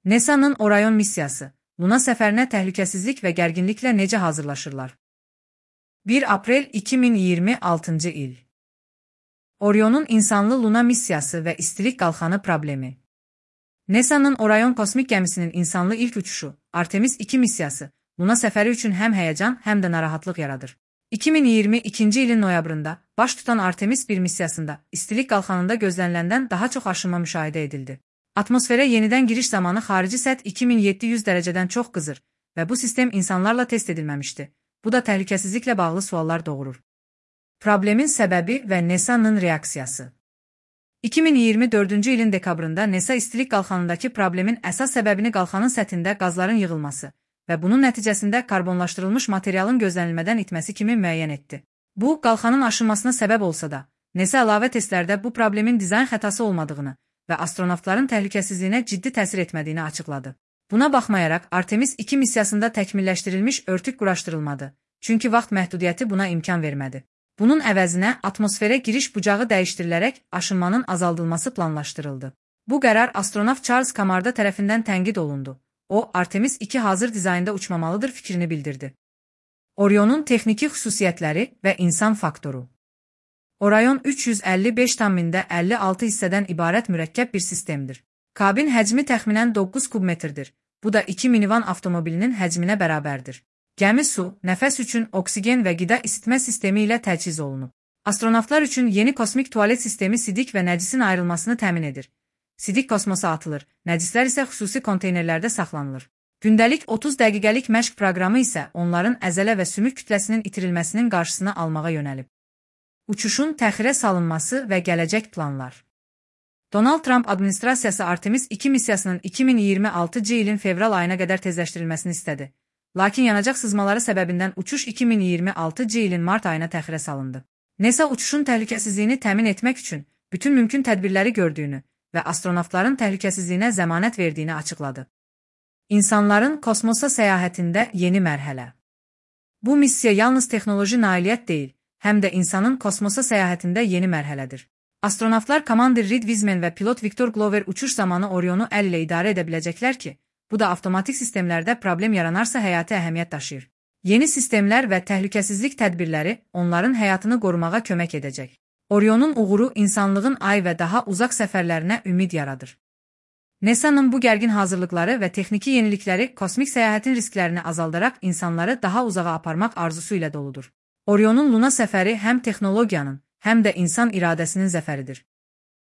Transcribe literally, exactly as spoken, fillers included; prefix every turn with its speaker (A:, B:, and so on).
A: NASA'nın Orion missiyası, Luna səfərinə təhlükəsizlik və gərginliklə necə hazırlaşırlar? bir aprel iki min iyirmi altıncı il. Orion'un insanlı Luna missiyası və istilik qalxanı problemi. NASA'nın Orion kosmik gəmisinin insanlı ilk uçuşu, Artemis iki missiyası, Luna səfəri üçün həm həyəcan, həm də narahatlıq yaradır. iki min iyirmi ikinci ilin noyabrında baş tutan Artemis bir missiyasında istilik qalxanında gözləniləndən daha çox aşınma müşahidə edildi. Atmosferə yenidən giriş zamanı xarici səth iki min yeddi yüz dərəcədən çox qızır və bu sistem insanlarla test edilməmişdi. Bu da təhlükəsizliklə bağlı suallar doğurur. Problemin səbəbi və NASA'nın reaksiyası. iki min iyirmi dördüncü ilin dekabrında NASA istilik qalxanındakı problemin əsas səbəbini qalxanın səthində qazların yığılması və bunun nəticəsində karbonlaşdırılmış materialın gözlənilmədən itməsi kimi müəyyən etdi. Bu, qalxanın aşınmasına səbəb olsa da, NASA əlavə testlərdə bu problemin dizayn xətası olmadığını və astronavtların təhlükəsizliyinə ciddi təsir etmədiyini açıqladı. Buna baxmayaraq, Artemis iki missiyasında təkmilləşdirilmiş örtük quraşdırılmadı, çünki vaxt məhdudiyyəti buna imkan vermədi. Bunun əvəzinə atmosferə giriş bucağı dəyişdirilərək aşınmanın azaldılması planlaşdırıldı. Bu qərar astronavt Charles Camarda tərəfindən tənqid olundu. O, Artemis iki hazır dizaynda uçmamalıdır fikrini bildirdi. Orion'un texniki xüsusiyyətləri və insan faktoru. Orion üç yüz əlli beş tam mində əlli altı hissədən ibarət mürəkkəb bir sistemdir. Kabin həcmi təxminən doqquz kubmetrdir. Bu da iki minivan avtomobilinin həcminə bərabərdir. Gəmi su, nəfəs üçün oksigen və qida isitmə sistemi ilə təchiz olunub. Astronavtlar üçün yeni kosmik tualet sistemi sidik və nəcisin ayrılmasını təmin edir. Sidik kosmosa atılır, nəcislər isə xüsusi konteynerlərdə saxlanılır. Gündəlik otuz dəqiqəlik məşq proqramı isə onların əzələ və sümük kütləsinin itirilməsinin qarşısını almağa yönəlib. Uçuşun təxirə salınması və gələcək planlar. Donald Trump administrasiyası Artemis iki missiyasının iki min iyirmi altıncı ilin fevral ayına qədər tezləşdirilməsini istədi. Lakin yanacaq sızmaları səbəbindən uçuş iki min iyirmi altıncı ilin mart ayına təxirə salındı. NASA uçuşun təhlükəsizliyini təmin etmək üçün bütün mümkün tədbirləri gördüyünü və astronavtların təhlükəsizliyinə zəmanət verdiyini açıqladı. İnsanların kosmosa səyahətində yeni mərhələ. Bu missiya yalnız texnoloji nailiyyət deyil, həm də insanın kosmosa səyahətində yeni mərhələdir. Astronavtlar Commander Reed Wiseman və pilot Victor Glover uçuş zamanı Orion'u əl ilə idarə edə biləcəklər ki, bu da avtomatik sistemlərdə problem yaranarsa həyati əhəmiyyət daşıyır. Yeni sistemlər və təhlükəsizlik tədbirləri onların həyatını qorumağa kömək edəcək. Orion'un uğuru insanlığın ay və daha uzaq səfərlərinə ümid yaradır. NASA'nın bu gərgin hazırlıqları və texniki yenilikləri kosmik səyahətin risklərini azaldaraq insanları daha uzağa aparmaq arzusu ilə doludur. Orion'un Luna səfəri həm texnologiyanın, həm də insan iradəsinin zəfəridir.